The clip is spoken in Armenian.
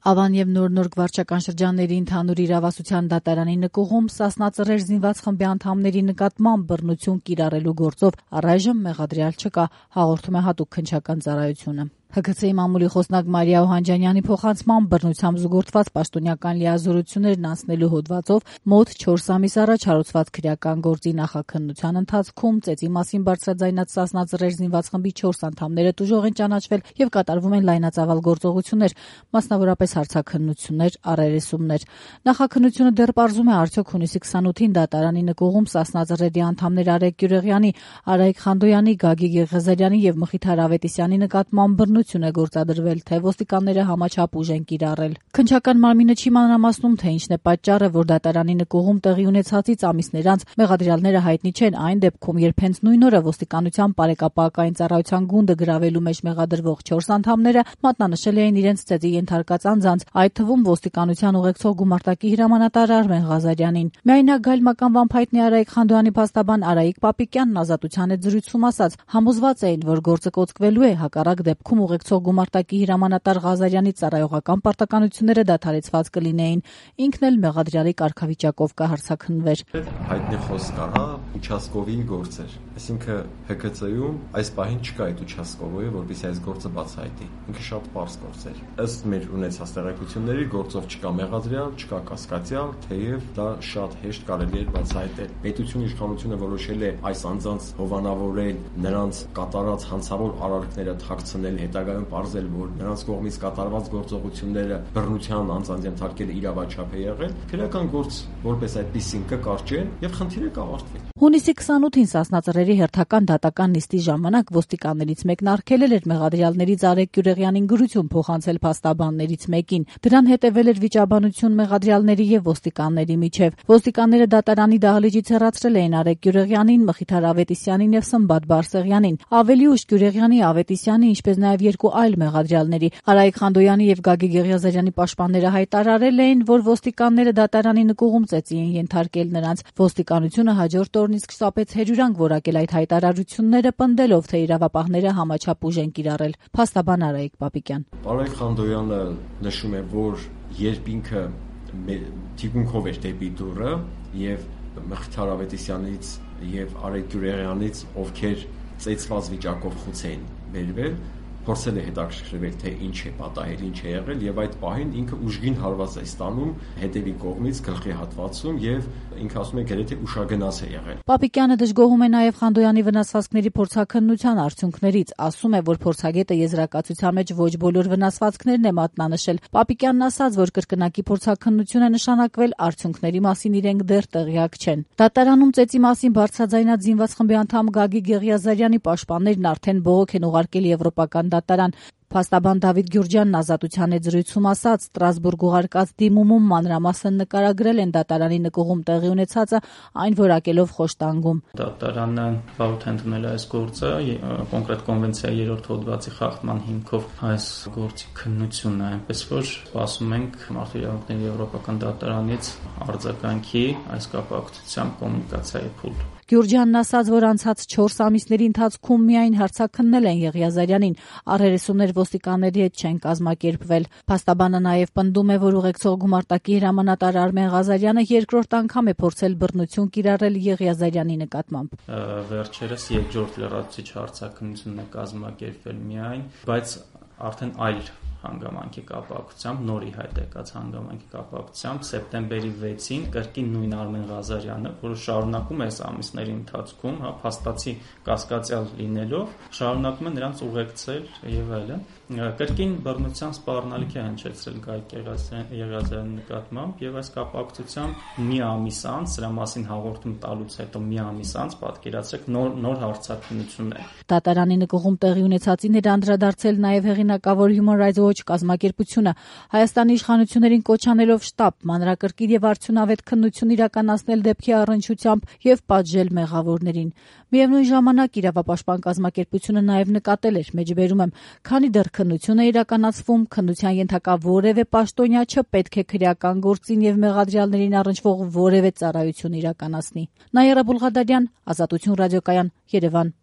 Ավան եւ Նոր վարչական շրջանների ընդհանուր իրավասության դատարանի նկուղում Սասնա Ծռեր զինված խմբի անդամների նկատմամբ բռնություն կիրառելու գործով առայժմ մեղադրյալ չկա, հաղորդում է Հատուկ քննչական ծառայությունը։ ՀՔՑ-ի մամուլի խոսնակ Մարիա Օհանջանյանի փոխանցմամբ բռնությամբ զուգորդված պաշտոնյական լիազորություններն անցնելու հոդվածով մոտ 4 ամիս առաջ հարուցված քրեական գործի նախաքննության ընթացքում ծեծի մասին բարձրաձայնած Սասնա Ծռեր զինված խմբի 4 անդամները տուժող են ճանաչվել եւ կատարվում են լայնածավալ գործողություններ, մասնավորապես հարցաքննություններ, առերեսումներ։ Նախաքննությունը դեռ պարզում է արդյոք հունիսի 28-ին դատարանի նկուղում Սասնա Ծռերի անդամներ Արայք Գյուղեղյանի, Արայք Խանդոյանի, Գագիկ Եղիազարյանի եւ Մխիթար Ավետիսյանի նկատմամբ բռնություն է գործադրվել, թե ոստիկանները համաչափ ուժ են կիրառել։ Քննչական մարմինը չի մանրամասնում, թե ինչն է պատճառը, որ դատարանի նկուղում տեղի ունեցածից ամիսներ անց մեղադրյալները հայտնի չեն այն դեպքում, երբ հենց նույն օրը ոստիկանության բարեկապակային ծառայության գունդը գրավելու մեջ մեղադրվող 4 անդամները մատնանշել էին իրենց ծեծի ենթարկած անձանց, այդ թվում ոստիկանության ուղեկցող գումարտակի հրամանատար Արմեն Ղազարյանին։ Միայնակ Գայլ մականվան փայտնի Արայիկ Խանդոյանի փաստաբան Արայիկ Պապիկյանն Ազատության հետ զրույցում ասաց, համոզված էին, որ գործը կոծկվելու է, հակառակ դեպքում ուղեկցող գումարտակի հրամանատար Ղազարյանի ծառայողական պարտականությունները դադարեցված կլինեին, ինքն էլ մեղադրյալի կարգավիճակով կհարձակնվեր։ Հայտնի խոսք կա, ուչասկովի գործեր, այսինքն ՀՔՑ-ում այս պահին չկա այդ ուչասկովը, որպեսզի այս գործը բացահայտի։ Ինքը շատ պարզ գործ էր։ Ըստ մեր ունեցած տեղեկությունների գործով չկա մեղադրյալ, չկա կասկածյալ, թեև դա շատ հեշտ կարելի է բացահայտել։ Պետությունը իշխանությունը որոշել է այս անձանց հովանավորել, նրանց կատարած հանցավոր արարքները թաքցնել, հետագայում պարզել, որ նրանց կողմից կատարված գործողությունները բռնության անձանց ենթարկել իրավաչափ է եղել, քրեական գործ որպես այդպեսին կկարճեն եւ խնդիրը կավարտվի։ Հունիսի 28-ին Սասնա Ծռերի հերթական դատական նիստի ժամանակ ոստիկաններից մեկն արգելել էր մեղադրյալներից Արայք Գյուղեղյանին գրություն փոխանցել փաստաբաններից մեկին։ Դրան հետևել էր վիճաբանություն մեղադրյալների եւ ոստիկանների միջև։ Ոստիկանները դատարանի դահլիճից հեռացրել էին Արայք Գյուղեղյանին, Մխիթար Ավետիսյանին եւ Սմբատ Բարսեղյանին։ Ավելի ուշ Գյուղեղյանի, Ավետիսյանի, ինչպես նաեւ երկու այլ մեղադրյալների Արայիկ Խանդոյանի եւ Գագիկ Եղիազարյանի պաշտպանները հայտարարել էին, որ ոստիկանները դատարանի նկուղում ծեծի են ենթարկել նրանց։ Ոստիկանությունը հաջորդ օրն իսկ շտապեց հերյուրանք որակել այդ հայտարարությունները, պնդելով, թե իրավապահները համաչափ ուժ են կիրառել։ Փաստաբան Արայիկ Պապիկյան։ Արայիկ Խանդոյանը նշում է, որ երբ ինքը թիկունքով էր դեպի դուռը եւ Մխիթար Ավետիսյանից եւ Արայիկ Գյուղեղյանից, ովքեր ծեծված վիճակով խոց էին բերվել, փորձել է հետաքրքրվել, թե ինչ է պատահել, ինչ է եղել եւ այդ պահին ինքը ուժգին հարված է ստանում հետևի կողմից գլխի հատվածում եւ ինքը ասում է գրեթե ուշագնաց է եղել։ Պապիկյանը դժգոհում է նաեւ Խանդոյանի վնասվածքների փորձաքննության արդյունքներից, ասում է, որ փորձագետը եզրակացության մեջ ոչ բոլոր վնասվածքներն է մատնանշել։ Պապիկյանն ասաց, որ կրկնակի փորձաքննություն է նշանակվել, արդյունքների մասին իրենք դեռ տեղյակ չեն։ Դատարանում ծեծի մասին բարձրաձայնած զինված խմբի անդամ Գագիկ Եղիազարյանի պաշտպաններն արդեն բողոք են ուղարկել եվրոպական դատարան։ Փաստաբան Դավիթ Գյուրջյանն Ազատության հետ զրույցում ասաց, Ստրասբուրգ ուղարկած դիմումում մանրամասն նկարագրել են դատարանի նկուղում տեղի ունեցածը, այն որակելով խոշտանգում։ Դատարանը բարդ է ընդունել այս գործը, կոնկրետ կոնվենցիայի 3-րդ հոդվածի խախտման հիմքով այս գործի քննությունը, այնպես որ սպասում ենք Մարդու իրավունքների եվրոպական դատարանից արձագանքի այս կապակցությամբ կոմունիկացիայի փուլ։ Գյուրջյանն ասաց, որ անցած 4 ամիսների ընթացքում միայն հարցաքննել են Եղիազարյանին, առերեսումներ ոստիկանների հետ չեն կազմակերպվել։ Փաստաբանը նաև պնդում է, որ ուղեկցող գումարտակի հրամանատար Արմեն Ղազարյանը երկրորդ անգամ է փորձել բռնություն կիրառել Եղիազարյանի նկատմամբ։ Վերջերս երկրորդ լրացուցիչ հարցաքննությունն է կազմակերպվել միայն, բայց արդեն այլ հանգամանքի կապակցությամբ, նորի հայտ եկած հանգամանքի կապակցությամբ սեպտեմբերի 6-ին կրկին նույն Արմեն Ղազարյանը, որը շարունակում է այս ամիսների ընթացքում, փաստացի կասկածյալ լինելով, շարունակում է նրանց ուղեկցել եւ այլն, կրկին բռնության սպառնալիք է հնչեցրել Գայք Եղիազարյանի նկատմամբ եւ այս կապակցությամբ մի ամիս անց, սրա մասին հաղորդում տալուց հետո մի ամիս անց պատկերացրեք նոր հարցաքննություն է։ Դատարանի նկուղում տեղի ունեցածին էր անդրադարձել նաեւ հեղինակավոր Human Rights Watch կազմակերպությունը, Հայաստանի իշխանություններին կոչ անելով շտապ, մանրակրկիտ եւ արդյունավետ քննություն իրականացնել դեպքի առնչությամբ եւ պատժել մեղավորներին։ Միևնույն ժամանակ իրավապաշտպան կազմակերպությունը նաեւ նկատել էր, մեջբերում եմ, քանի դեռ քննություն է իրականացվում, քննության ենթակա որևէ պաշտոնյա չպետք է քրեական գործին եւ մեղադրյալներին առնչվող որևէ ծառայություն իրականացնի։ Նաիրա Բուլղադարյան, Ազատություն ռադիոկայան, Երևան։